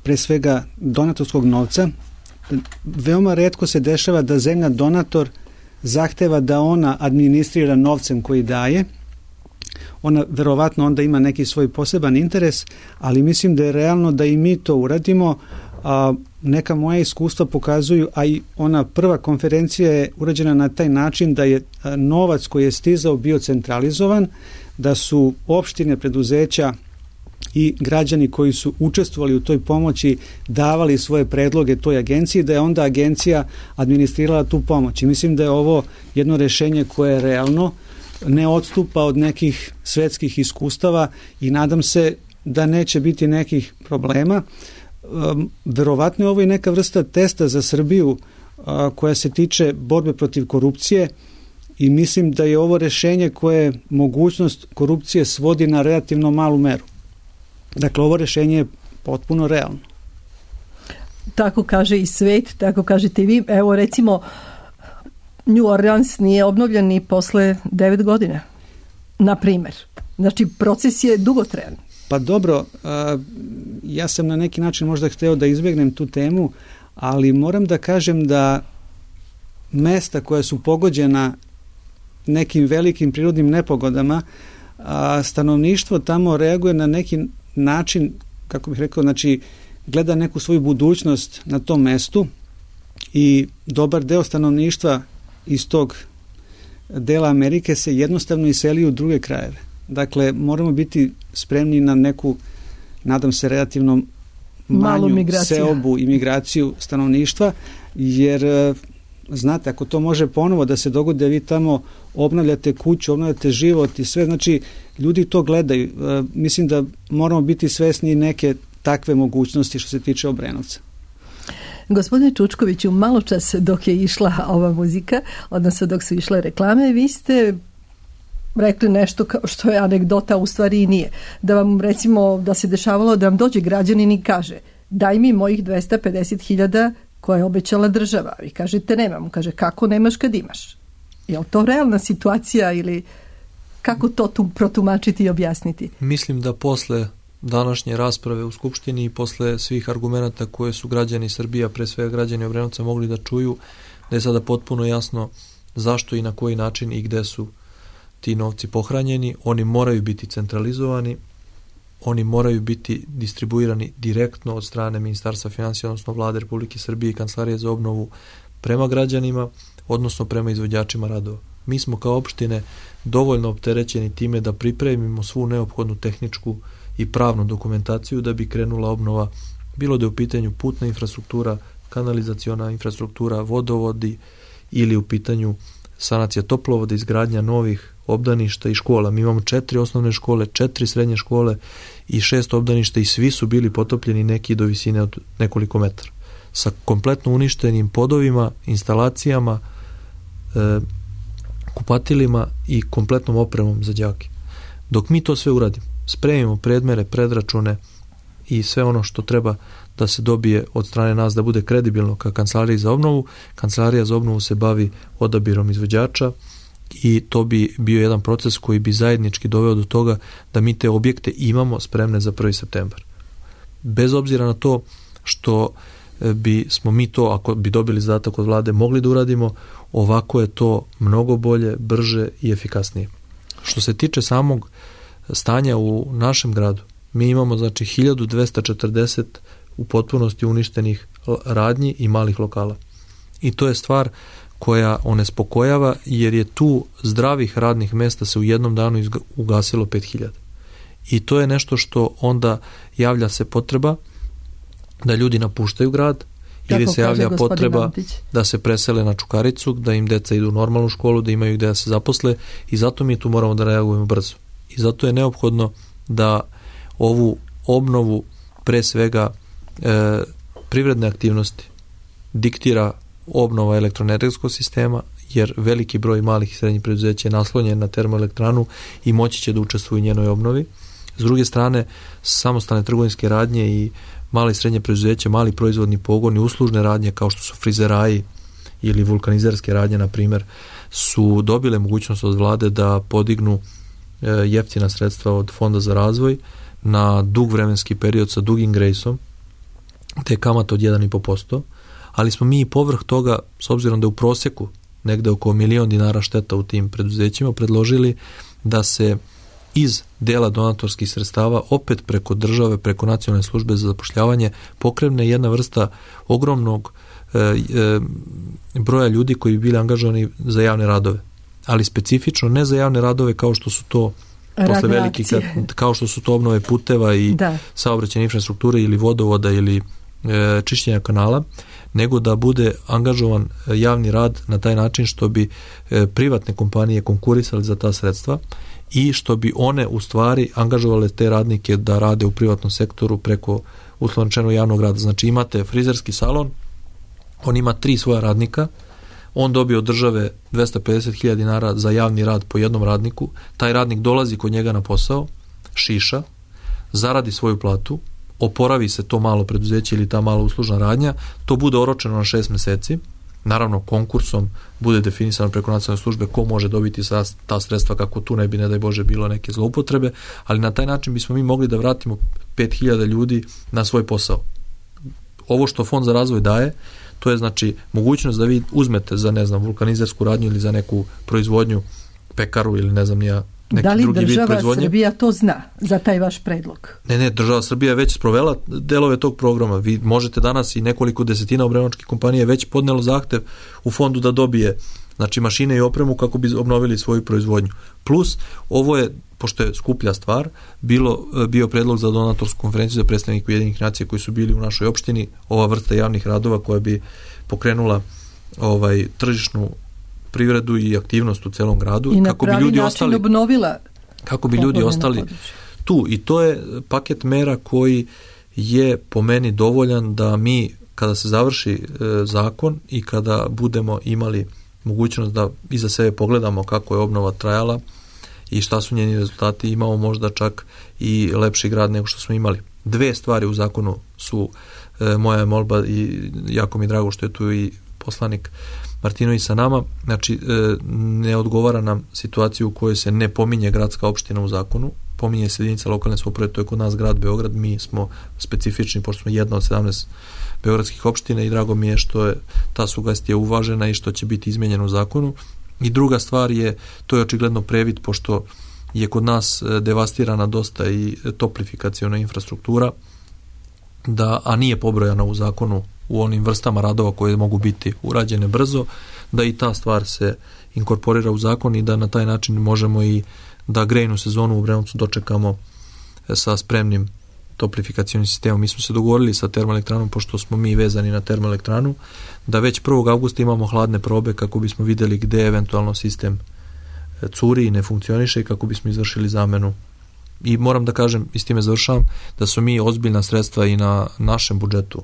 pre svega donatorskog novca. Veoma retko se dešava da zemlja donator zahteva da ona administrira novcem koji daje. Ona verovatno onda ima neki svoj poseban interes, ali mislim da je realno da i mi to uradimo. A neka moja iskustva pokazuju, a i ona prva konferencija je urađena na taj način da je novac koji je stizao bio centralizovan, da su opštine, preduzeća i građani koji su učestvovali u toj pomoći davali svoje predloge toj agenciji, da je onda agencija administrirala tu pomoć. I mislim da je ovo jedno rešenje koje je realno, ne odstupa od nekih svetskih iskustava i nadam se da neće biti nekih problema. Um, verovatno je ovo i neka vrsta testa za Srbiju uh, koja se tiče borbe protiv korupcije i mislim da je ovo rešenje koje mogućnost korupcije svodi na relativno malu meru. Dakle, ovo rešenje je potpuno realno. Tako kaže i svet, tako kažete i vi. Evo recimo New Orleans nije obnovljen ni posle devet godina, na primer. Znači, proces je dugotrajan. Pa dobro, ja sam na neki način možda hteo da izbjegnem tu temu, ali moram da kažem da mesta koja su pogođena nekim velikim prirodnim nepogodama, stanovništvo tamo reaguje na neki način, kako bih rekao, znači gleda neku svoju budućnost na tom mestu i dobar deo stanovništva iz tog dela Amerike se jednostavno iseli u druge krajeve. Dakle, moramo biti spremni na neku, nadam se, relativno manju seobu i migraciju stanovništva, jer znate, ako to može ponovo da se dogodi, vi tamo obnavljate kuću, obnavljate život i sve, znači ljudi to gledaju. Mislim da moramo biti svesni neke takve mogućnosti što se tiče Obrenovca. Gospodine Čučkoviću, malo čas dok je išla ova muzika, odnosno dok su išle reklame, vi ste rekli nešto kao što je anegdota, u stvari i nije. Da vam, recimo, da se dešavalo da vam dođe građanin i kaže daj mi mojih dvesta pedeset hiljada koje je obećala država. Vi kažete nemam. Kaže kako nemaš kad imaš? Je li to realna situacija ili kako to tu protumačiti i objasniti? Mislim da posle današnje rasprave u Skupštini i posle svih argumenata koje su građani Srbije, pre svega građani Obrenovca, mogli da čuju, da je sada potpuno jasno zašto i na koji način i gde su ti novci pohranjeni. Oni moraju biti centralizovani, oni moraju biti distribuirani direktno od strane Ministarstva finansija, odnosno Vlade Republike Srbije i Kancelarije za obnovu prema građanima, odnosno prema izvođačima radova. Mi smo kao opštine dovoljno opterećeni time da pripremimo svu neophodnu tehničku i pravnu dokumentaciju da bi krenula obnova, bilo da je u pitanju putna infrastruktura, kanalizaciona infrastruktura, vodovodi ili u pitanju sanacija toplovoda, izgradnja novih obdaništa i škola. Mi imamo četiri osnovne škole, četiri srednje škole i šest obdaništa i svi su bili potopljeni, neki do visine od nekoliko metara. Sa kompletno uništenim podovima, instalacijama, e, kupatilima i kompletnom opremom za đake. Dok mi to sve uradimo, spremimo predmere, predračune i sve ono što treba da se dobije od strane nas da bude kredibilno ka Kancelariji za obnovu, Kancelarija za obnovu se bavi odabirom izvođača i to bi bio jedan proces koji bi zajednički doveo do toga da mi te objekte imamo spremne za prvi septembar. Bez obzira na to što bi smo mi to, ako bi dobili zadatak od vlade, mogli da uradimo, ovako je to mnogo bolje, brže i efikasnije. Što se tiče samog stanja u našem gradu, mi imamo znači hiljadu dvesta četrdeset u potpunosti uništenih radnji i malih lokala. I to je stvar koja onespokojava, jer je tu zdravih radnih mesta se u jednom danu ugasilo pet hiljada. I to je nešto što onda javlja se potreba da ljudi napuštaju grad, ili se javlja potreba da se presele na Čukaricu, da im deca idu u normalnu školu, da imaju gde da se zaposle, i zato mi tu moramo da reagujemo brzo. I zato je neophodno da ovu obnovu, pre svega e, privredne aktivnosti, diktira obnova elektroenergetskog sistema, jer veliki broj malih i srednjih preduzeća je naslonjen na termoelektranu i moći će da učestvuju u njenoj obnovi. S druge strane, samostalne trgovinske radnje i male i srednje preduzeće, mali proizvodni pogoni, uslužne radnje kao što su frizeraji ili vulkanizerske radnje, na primjer, su dobile mogućnost od vlade da podignu jeftina sredstva od Fonda za razvoj na dug vremenski period sa dugim grejsom, te kamata od jedan i po posto, ali smo mi i povrh toga, s obzirom da u prosjeku negde oko milion dinara šteta u tim preduzećima, predložili da se iz dela donatorskih sredstava opet preko države, preko nacionalne službe za zapošljavanje pokrene jedna vrsta ogromnog e, e, broja ljudi koji bi bili angažovani za javne radove, ali specifično ne za javne radove kao što su to posle veliki, kao što su to obnove puteva i da. saobraćajne infrastrukture ili vodovoda ili e, čišćenja kanala, nego da bude angažovan javni rad na taj način što bi e, privatne kompanije konkurisali za ta sredstva i što bi one u stvari angažovale te radnike da rade u privatnom sektoru preko uslovno rečeno javnog rada. Znači imate frizerski salon, on ima tri svoja radnika, on dobije od države dvesta pedeset hiljada dinara za javni rad po jednom radniku, taj radnik dolazi kod njega na posao, šiša, zaradi svoju platu, oporavi se to malo preduzeće ili ta mala uslužna radnja, to bude oročeno na šest meseci, naravno konkursom bude definisano preko nacionalne službe ko može dobiti ta sredstva, kako tu ne bi, ne daj Bože, bilo neke zloupotrebe, ali na taj način bismo mi mogli da vratimo pet hiljada ljudi na svoj posao. Ovo što Fond za razvoj daje, to je znači mogućnost da vi uzmete za, ne znam, vulkanizersku radnju ili za neku proizvodnju, pekaru ili ne znam nija neki da li drugi vid proizvodnje. Da li država Srbija to zna za taj vaš predlog? Ne, ne, država Srbija je već sprovela delove tog programa. Vi možete danas i nekoliko desetina obrenovačkih kompanija već podnelo zahtev u fondu da dobije znači mašine i opremu kako bi obnovili svoju proizvodnju. Plus, ovo je, pošto je skuplja stvar, bilo, bio predlog za donatorsku konferenciju za predstavnike Ujedinjenih nacija koji su bili u našoj opštini, ova vrsta javnih radova koja bi pokrenula ovaj tržišnu privredu i aktivnost u celom gradu i na kako pravi bi ljudi način ostali obnovila kako bi ljudi ostali tu, i to je paket mera koji je po meni dovoljan da mi kada se završi e, zakon i kada budemo imali mogućnost da iza sebe pogledamo kako je obnova trajala i šta su njeni rezultati, imamo možda čak i lepši grad nego što smo imali. Dve stvari u zakonu su e, moja molba i jako mi je drago što je tu i poslanik Martinović sa nama, znači e, ne odgovara nam situaciju u kojoj se ne pominje gradska opština u zakonu, pominje se jedinica lokalne samouprave, to je kod nas grad Beograd, mi smo specifični pošto smo jedna od sedamnaest beogradskih opština i drago mi je što je ta sugestija uvažena i što će biti izmenjeno u zakonu. I druga stvar je, to je očigledno previd, pošto je kod nas devastirana dosta i toplifikaciona infrastruktura, da, a nije pobrojana u zakonu u onim vrstama radova koje mogu biti urađene brzo, da i ta stvar se inkorporira u zakon i da na taj način možemo i da grejnu sezonu u Obrenovcu dočekamo sa spremnim toplifikacionim sistemom. Mi smo se dogovorili sa termoelektranom, pošto smo mi vezani na termoelektranu, da već prvog avgusta imamo hladne probe kako bismo videli gde eventualno sistem curi i ne funkcioniše i kako bismo izvršili zamenu. I moram da kažem, i s time završavam, da su mi ozbiljna sredstva i na našem budžetu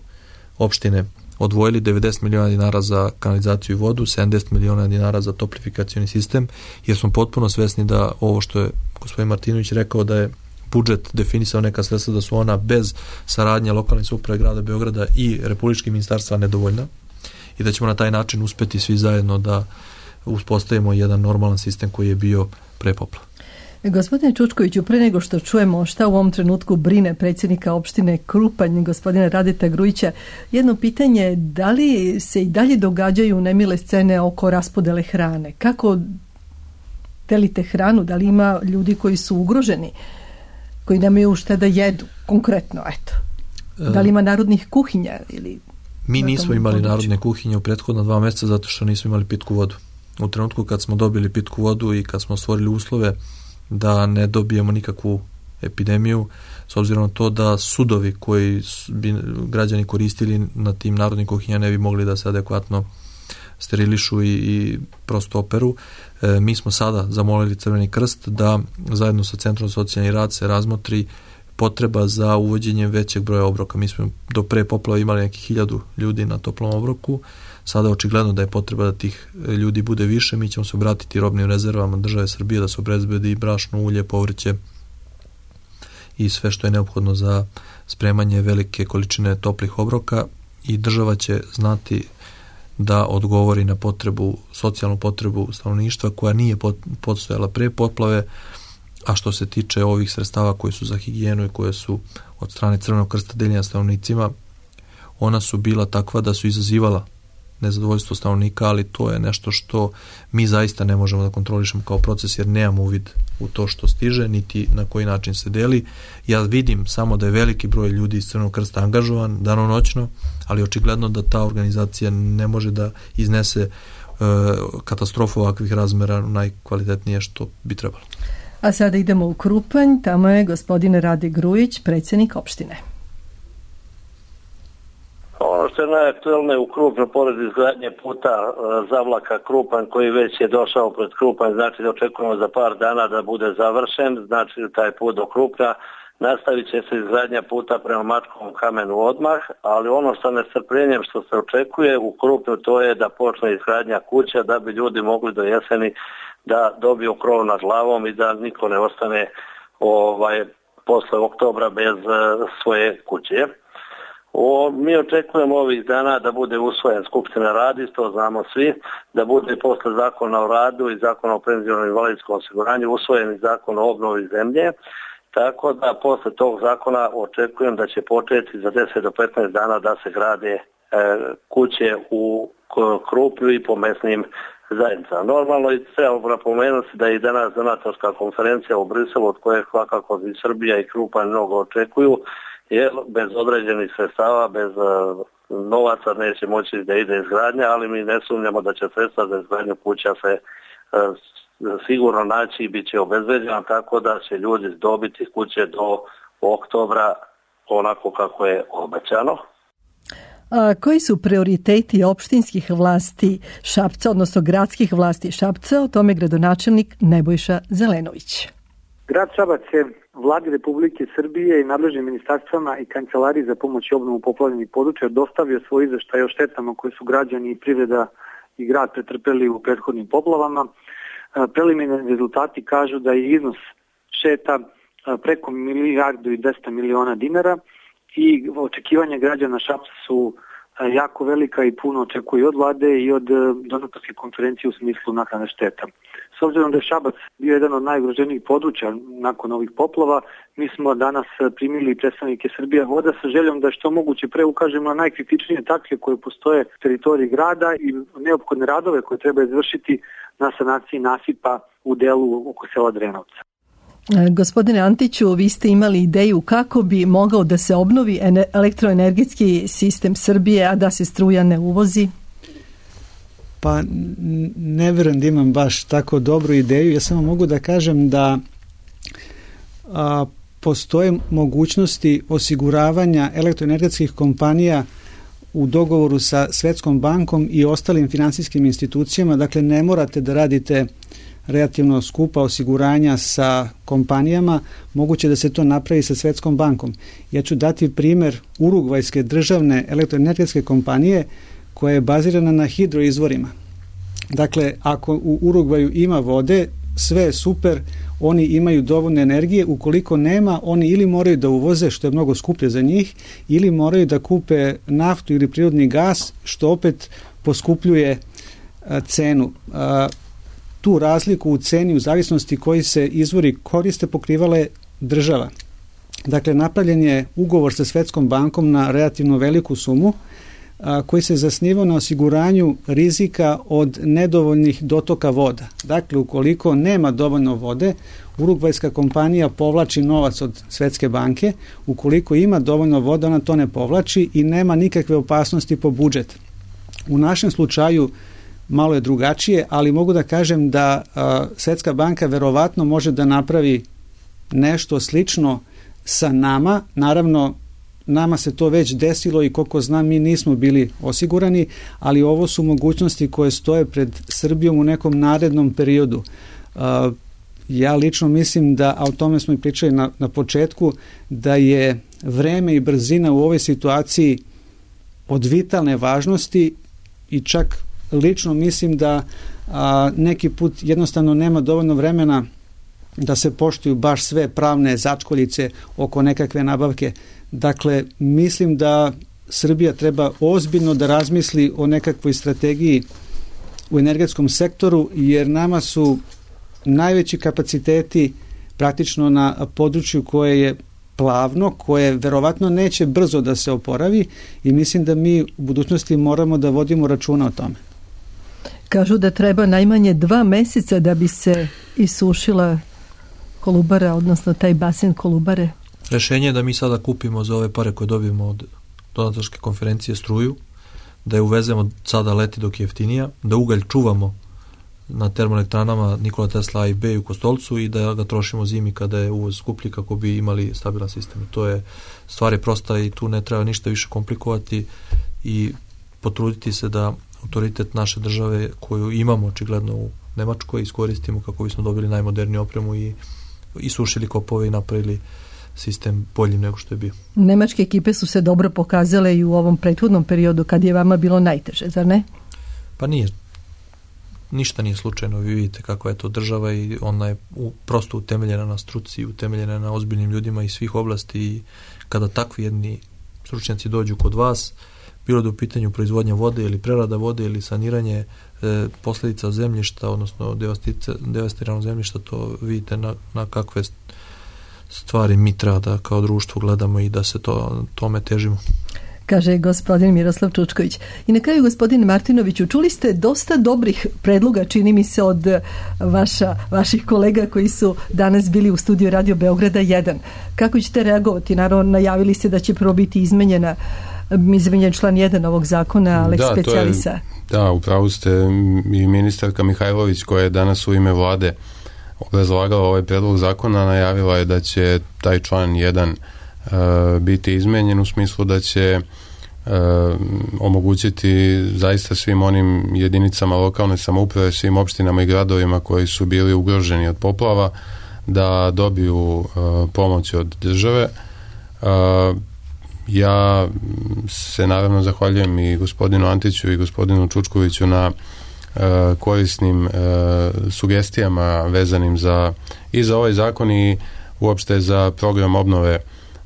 opštine odvojili devedeset miliona dinara za kanalizaciju i vodu, sedamdeset miliona dinara za toplifikacioni sistem, jer smo potpuno svesni da ovo što je gospodin Martinović rekao, da je budžet definisao neka sredstva, da su ona bez saradnje lokalne samouprave grada Beograda i republičkih ministarstva nedovoljna i da ćemo na taj način uspeti svi zajedno da uspostavimo jedan normalan sistem koji je bio pre poplava. Gospodine Čučkoviću, pre nego što čujemo šta u ovom trenutku brine predsjednika opštine Krupanj, gospodina Radeta Grujića, jedno pitanje, da li se i dalje događaju nemile scene oko raspodele hrane? Kako delite hranu? Da li ima ljudi koji su ugroženi, koji nemaju šta da jedu? Konkretno, eto. Da li ima narodnih kuhinja? Ili Mi nismo imali području? Narodne kuhinje u prethodna dva mjeseca zato što nismo imali pitku vodu. U trenutku kad smo dobili pitku vodu i kad smo stvorili uslove da ne dobijemo nikakvu epidemiju, s obzirom na to da sudovi koji bi građani koristili na tim narodnim kuhinjama ne bi mogli da se adekvatno sterilišu i, i prosto operu. E, mi smo sada zamolili Crveni krst da zajedno sa Centrom za socijalni rad se razmotri potreba za uvođenjem većeg broja obroka. Mi smo do pre poplava imali nekih hiljadu ljudi na toplom obroku, sada očigledno da je potreba da tih ljudi bude više. Mi ćemo se obratiti robnim rezervama države Srbije da se obezbedi brašno, ulje, povrće i sve što je neophodno za spremanje velike količine toplih obroka, i država će znati da odgovori na potrebu, socijalnu potrebu stanovništva koja nije postojala pre poplave. A što se tiče ovih sredstava koji su za higijenu i koje su od strane Crvenog krsta deljena stanovnicima, ona su bila takva da su izazivala nezadovoljstvo stanovnika, ali to je nešto što mi zaista ne možemo da kontrolišemo kao proces, jer nemamo uvid u to što stiže, niti na koji način se deli. Ja vidim samo da je veliki broj ljudi iz Crvenog krsta angažovan danonoćno, ali očigledno da ta organizacija ne može da iznese e, katastrofu ovakvih razmera najkvalitetnije što bi trebalo. A sada idemo u Krupanj, tamo je gospodin Rade Grujić, predsjednik opštine. Ono što je najaktuelnije u Krupanju, pored izgradnje puta e, Zavlaka Krupanj, koji već je došao pred Krupanj, znači da očekujemo za par dana da bude završen, znači taj put do Krupnja. Nastavit će se izgradnja puta prema Mačkovom kamenu odmah, ali ono sa nestrpljenjem što se očekuje u Krupnju, to je da počne izgradnja kuća da bi ljudi mogli do jeseni da dobiju krov nad glavom i da niko ne ostane ovaj, posle oktobra bez uh, svoje kuće. O, mi očekujemo ovih dana da bude usvojen, Skupština radi, to znamo svi, da bude posle zakona o radu i zakona o penzionom i invalidskom osiguranju usvojen i zakon o obnovi zemlje, tako da posle tog zakona očekujem da će početi za deset do petnaest dana da se grade e, kuće u Krupnju i po mesnim zajednicama. Normalno i treba napomenuti da je i danas donatorska konferencija u Briselu, od koje svakako i Srbija i Krupanj mnogo očekuju, jer bez određenih sredstava, bez uh, novaca neće moći da ide izgradnja, ali mi ne sumnjamo da će sredstva za izgradnju kuća se uh, sigurno naći i bit će obezbeđena, tako da će ljudi dobiti kuće do oktobra onako kako je obećano. A koji su prioriteti opštinskih vlasti Šapca, odnosno gradskih vlasti Šapca? O tome gradonačelnik Nebojša Zelenović. Grad Šabac je Vladi Republike Srbije i nadležnim ministarstvama i kancelariji za pomoć i obnovu poplavljenih područja dostavio svoj izveštaj o štetama koje su građani i privreda i grad pretrpeli u prethodnim poplavama. Preliminarni rezultati kažu da je iznos šteta preko milijardu i dvesta miliona dinara i očekivanja građana Šapca su jako velika i puno očekuju od vlade i od donatorske konferencije u smislu naknade šteta. S obzirom da je Šabac bio jedan od najugroženijih područja nakon ovih poplava, mi smo danas primili predstavnike Srbija voda sa željom da što moguće pre ukažemo na najkritičnije tačke koje postoje u teritoriji grada i neophodne radove koje treba izvršiti na sanaciji nasipa u delu oko sela Drenovca. Gospodine Antiću, vi ste imali ideju kako bi mogao da se obnovi elektroenergetski sistem Srbije, a da se struja ne uvozi? Pa ne vjerujem da imam baš tako dobru ideju. Ja samo mogu da kažem da a, postoje mogućnosti osiguravanja elektroenergetskih kompanija u dogovoru sa Svetskom bankom i ostalim finansijskim institucijama. Dakle, ne morate da radite relativno skupa osiguranja sa kompanijama, moguće da se to napravi sa Svetskom bankom. Ja ću dati primjer Urugvajske državne elektroenergetske kompanije koja je bazirana na hidroizvorima. Dakle, ako u Urugvaju ima vode, sve je super, oni imaju dovoljno energije, ukoliko nema, oni ili moraju da uvoze, što je mnogo skuplje za njih, ili moraju da kupe naftu ili prirodni gas, što opet poskupljuje a, cenu. A, tu razliku u ceni u zavisnosti koji se izvori koriste pokrivala je država. Dakle, napravljen je ugovor sa Svetskom bankom na relativno veliku sumu a, koji se zasnivao na osiguranju rizika od nedovoljnih dotoka voda. Dakle, ukoliko nema dovoljno vode, Urugvajska kompanija povlači novac od Svetske banke, ukoliko ima dovoljno vode, ona to ne povlači i nema nikakve opasnosti po budžet. U našem slučaju malo je drugačije, ali mogu da kažem da a, Svetska banka verovatno može da napravi nešto slično sa nama. Naravno, nama se to već desilo i koliko znam mi nismo bili osigurani, ali ovo su mogućnosti koje stoje pred Srbijom u nekom narednom periodu. A, ja lično mislim da, a o tome smo i pričali na, na početku, da je vreme i brzina u ovoj situaciji od vitalne važnosti i čak lično mislim da a, neki put jednostavno nema dovoljno vremena da se poštuju baš sve pravne začkoljice oko nekakve nabavke. Dakle, mislim da Srbija treba ozbiljno da razmisli o nekakvoj strategiji u energetskom sektoru, jer nama su najveći kapaciteti praktično na području koje je plavno, koje verovatno neće brzo da se oporavi i mislim da mi u budućnosti moramo da vodimo računa o tome. Kažu da treba najmanje dva meseca da bi se isušila Kolubara, odnosno taj basen Kolubare. Rešenje je da mi sada kupimo za ove pare koje dobijemo od donatorske konferencije struju, da je uvezemo sada leti dok je jeftinija, da ugalj čuvamo na termoelektranama Nikola Tesla A i B u Kostolcu i da ga trošimo zimi kada je uvoz skuplji kako bi imali stabilan sistem. To je stvar je prosta i tu ne treba ništa više komplikovati i potruditi se da autoritet naše države koju imamo očigledno u Nemačkoj iskoristimo kako bismo dobili najmoderniju opremu i isušili kopove i napravili sistem boljim nego što je bio. Nemačke ekipe su se dobro pokazale i u ovom prethodnom periodu kad je vama bilo najteže, zar ne? Pa nije. Ništa nije slučajno. Vi vidite kako je to država i ona je u, prosto utemeljena na struci, utemeljena na ozbiljnim ljudima iz svih oblasti i kada takvi jedni stručnjaci dođu kod vas, bilo da u pitanju proizvodnja vode ili prerada vode ili saniranje e, posljedica zemljišta, odnosno devastiranog zemljišta, to vidite na, na kakve stvari mi treba da kao društvo gledamo i da se to, tome težimo. Kaže gospodin Miroslav Čučković. I na kraju, gospodin Martinoviću, čuli ste dosta dobrih predloga, čini mi se, od vaša, vaših kolega koji su danas bili u studiju Radio Beograda jedan. Kako ćete reagovati? Naravno, najavili ste da će prvo biti izmenjena izmenjen član jedan ovog zakona, Lex da, Specialisa. Je, da, upravo ste i ministarka Mihajlović koja je danas u ime vlade obrazlagala ovaj predlog zakona, najavila je da će taj član jedan uh, biti izmenjen u smislu da će uh, omogućiti zaista svim onim jedinicama lokalne samouprave, svim opštinama i gradovima koji su bili ugroženi od poplava da dobiju uh, pomoć od države. Uh, ja se naravno zahvaljujem i gospodinu Antiću i gospodinu Čučkoviću na korisnim uh, sugestijama vezanim za i za ovaj zakon i uopšte za program obnove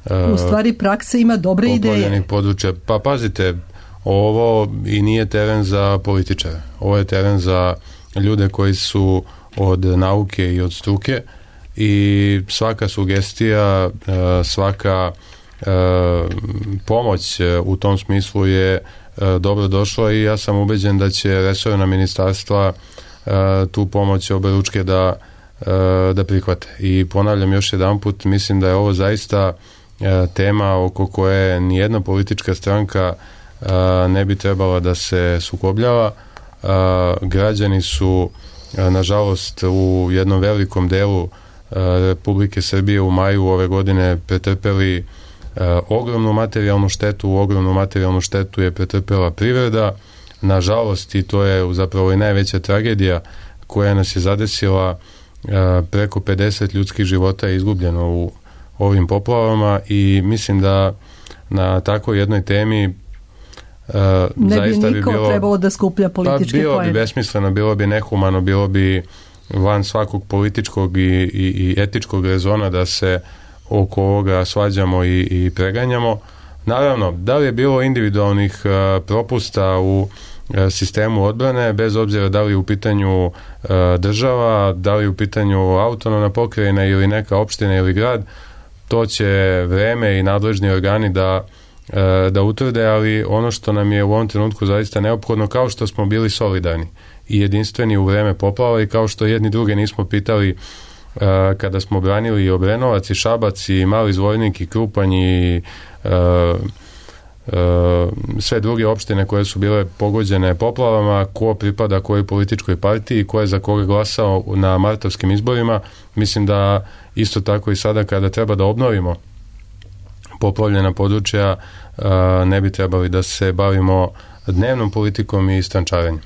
uh, u stvari praksa ima dobre ideje područja. Pa pazite, ovo i nije teren za političare, ovo je teren za ljude koji su od nauke i od struke i svaka sugestija, uh, svaka uh, pomoć u tom smislu je dobro došla i ja sam ubeđen da će resorna ministarstva uh, tu pomoć oberučke da, uh, da prihvate. I ponavljam još jedanput, mislim da je ovo zaista uh, tema oko koje nijedna politička stranka uh, ne bi trebala da se sukobljava. Uh, građani su uh, nažalost u jednom velikom delu uh, Republike Srbije u maju ove godine pretrpeli Uh, ogromnu materijalnu štetu, ogromnu materijalnu štetu je pretrpela privreda, nažalost, i to je zapravo i najveća tragedija koja nas je zadesila, uh, preko pedeset ljudskih života je izgubljeno u ovim poplavama i mislim da na takvoj jednoj temi uh, ne zaista bi niko bi bilo, trebalo da skuplja političke pa bilo poene. bi besmisleno, bilo bi nehumano, bilo bi van svakog političkog i, i, i etičkog rezona da se oko ovoga svađamo i, i preganjamo. Naravno, da li je bilo individualnih uh, propusta u uh, sistemu odbrane, bez obzira da li je u pitanju uh, država, da li je u pitanju autonomna pokrajina ili neka opština ili grad, to će vreme i nadležni organi da, uh, da utvrde, ali ono što nam je u ovom trenutku zaista neophodno, kao što smo bili solidarni i jedinstveni u vreme poplava i kao što jedni druge nismo pitali Uh, kada smo branili i Obrenovac i Šabac i Mali Zvornik i Krupanj i uh, uh, sve druge opštine koje su bile pogođene poplavama, ko pripada kojoj političkoj partiji, ko je za koga glasao na martovskim izborima. Mislim da isto tako i sada kada treba da obnovimo poplavljena područja, uh, ne bi trebali da se bavimo dnevnom politikom i strančarenjem.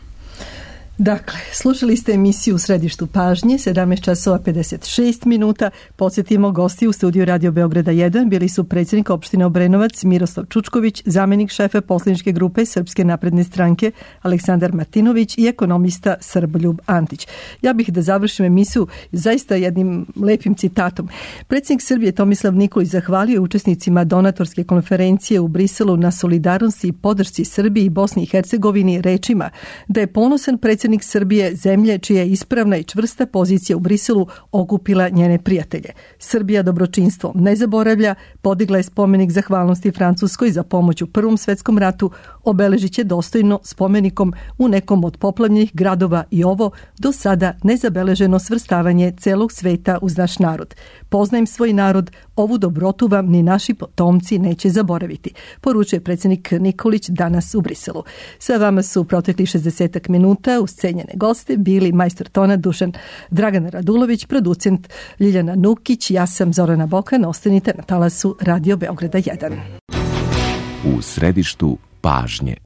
Dakle, slušali ste emisiju U središtu pažnje, sedamnaest časova pedeset šest minuta. Podsjetimo, gosti u studiju Radio Beograda jedan bili su predsjednik opštine Obrenovac Miroslav Čučković, zamenik šefa poslaničke grupe Srpske napredne stranke Aleksandar Martinović i ekonomista Srboljub Antić. Ja bih da završim emisiju zaista jednim lepim citatom. Predsjednik Srbije Tomislav Nikolić zahvalio učesnicima donatorske konferencije u Briselu na solidarnosti i podršci Srbiji i Bosni i Hercegovini rečima da je ponosan predsjednik Srbije, zemlje čija je ispravna i čvrsta pozicija u Briselu okupila njene prijatelje. Srbija dobročinstvo ne zaboravlja, podigla je spomenik zahvalnosti Francuskoj za pomoć u Prvom svetskom ratu, obeležit će dostojno spomenikom u nekom od poplavljenih gradova i ovo do sada nezabeleženo svrstavanje celog sveta uz naš narod. Poznajem svoj narod, ovu dobrotu vam ni naši potomci neće zaboraviti, poručuje predsjednik Nikolić danas u Briselu. Sa vama su protekli šezdesetak minuta uz cenjene goste bili majstor tona Dušan Dragan Radulović, producent Ljiljana Nukić, ja sam Zorana Bokan, ostanite na talasu Radio Beograda jedan. U središtu pažnje.